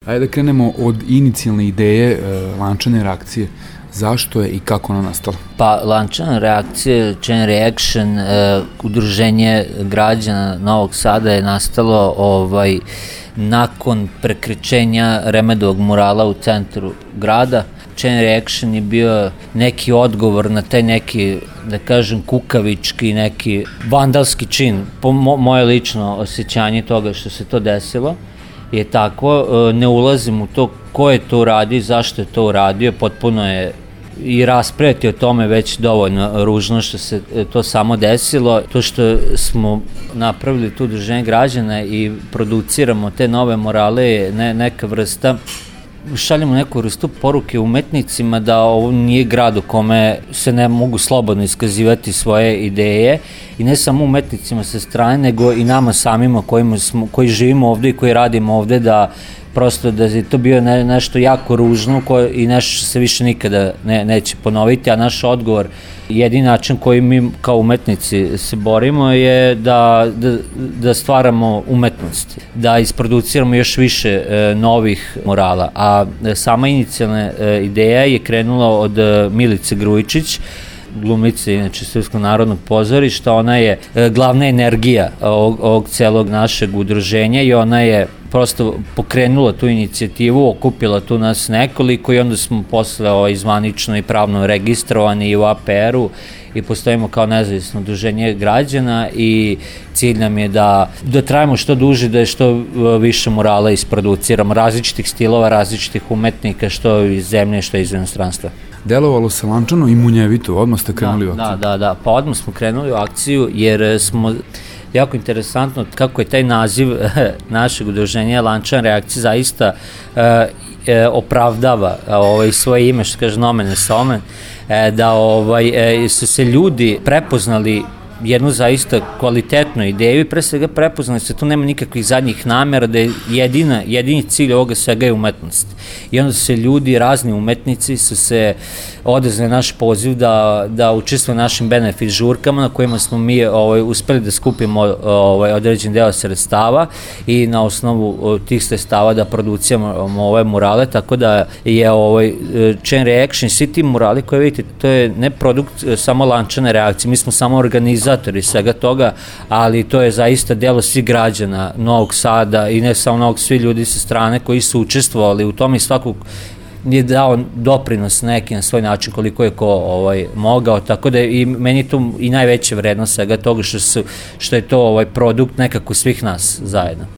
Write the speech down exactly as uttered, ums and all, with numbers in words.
Ajde da krenemo od inicijalne ideje e, lančane reakcije. Zašto je i kako ona nastala? Pa, lančana reakcija, Chain Reaction, e, udruženje građana Novog Sada je nastalo ovaj, nakon prekričenja Remedovog murala u centru grada. Chain Reaction je bio neki odgovor na taj neki, da kažem, kukavički, neki vandalski čin. Po mo, moje lično osjećanje toga što se to desilo je tako, ne ulazim u to ko je to uradio, zašto je to uradio, potpuno je i raspraviti o tome već dovoljno ružno što se to samo desilo. To što smo napravili tu udruženje građana i produciramo te nove morale je ne, neka vrsta, šaljemo neku vrstu poruke umetnicima da ovo nije grad u kome se ne mogu slobodno iskazivati svoje ideje i ne samo umetnicima sa strane, nego i nama samima kojima smo, koji živimo ovde i koji radimo ovde, da prosto da je to bio ne, nešto jako ružno koje, i nešto se više nikada ne, neće ponoviti, a naš odgovor, jedini način koji mi kao umetnici se borimo je da, da, da stvaramo umetnost, da isproduciramo još više e, novih murala, a e, sama inicijalna e, ideja je krenula od e, Milice Grujičić, glumice, inače Srpskog narodnog pozorišta. Ona je e, glavna energija ovog, ovog celog našeg udruženja i ona je prosto pokrenula tu inicijativu, okupila tu nas nekoliko i onda smo posle ovaj, zvanično i pravno registrovani i u A P R-u i postojimo kao nezavisno udruženje građana i cilj nam je da, da trajimo što duže, da je što više murala isproduciramo, različitih stilova, različitih umetnika, što iz zemlje, što iz inostranstva. Delovalo se lančano i munjevito, odmah ste krenuli da, u akciju. Da, da, da, pa odmah smo krenuli u akciju jer smo jako interesantno kako je taj naziv našeg udruženja lančana reakcija zaista e, e, opravdava ovaj, svoje ime, što kaže nomen es omen, e, da ovaj, e, su se ljudi prepoznali jednu zaista kvalitetnu ideju i pre svega prepoznali se, tu nema nikakvih zadnjih namera, da je jedina, jedini cilj ovoga svega je umetnost. I onda su se ljudi, razni umetnici su se odazvali naš poziv da, da učestvuju našim benefit žurkama na kojima smo mi ovaj, uspeli da skupimo ovaj, određen deo sredstava i na osnovu tih sredstava da produciramo ove murale, tako da je ovaj, Chain Reaction, svi ti murali koje vidite, to je ne produkt samo lančane reakcije, mi smo samo organizatori svega toga, ali to je zaista delo svih građana Novog Sada i ne samo Novog, svi ljudi sa strane koji su učestvovali u tome i svakog je dao doprinos neki na svoj način koliko je ko ovaj, mogao, tako da je i meni to i najveća vrednost svega toga što, su, što je to ovaj, produkt nekako svih nas zajedno.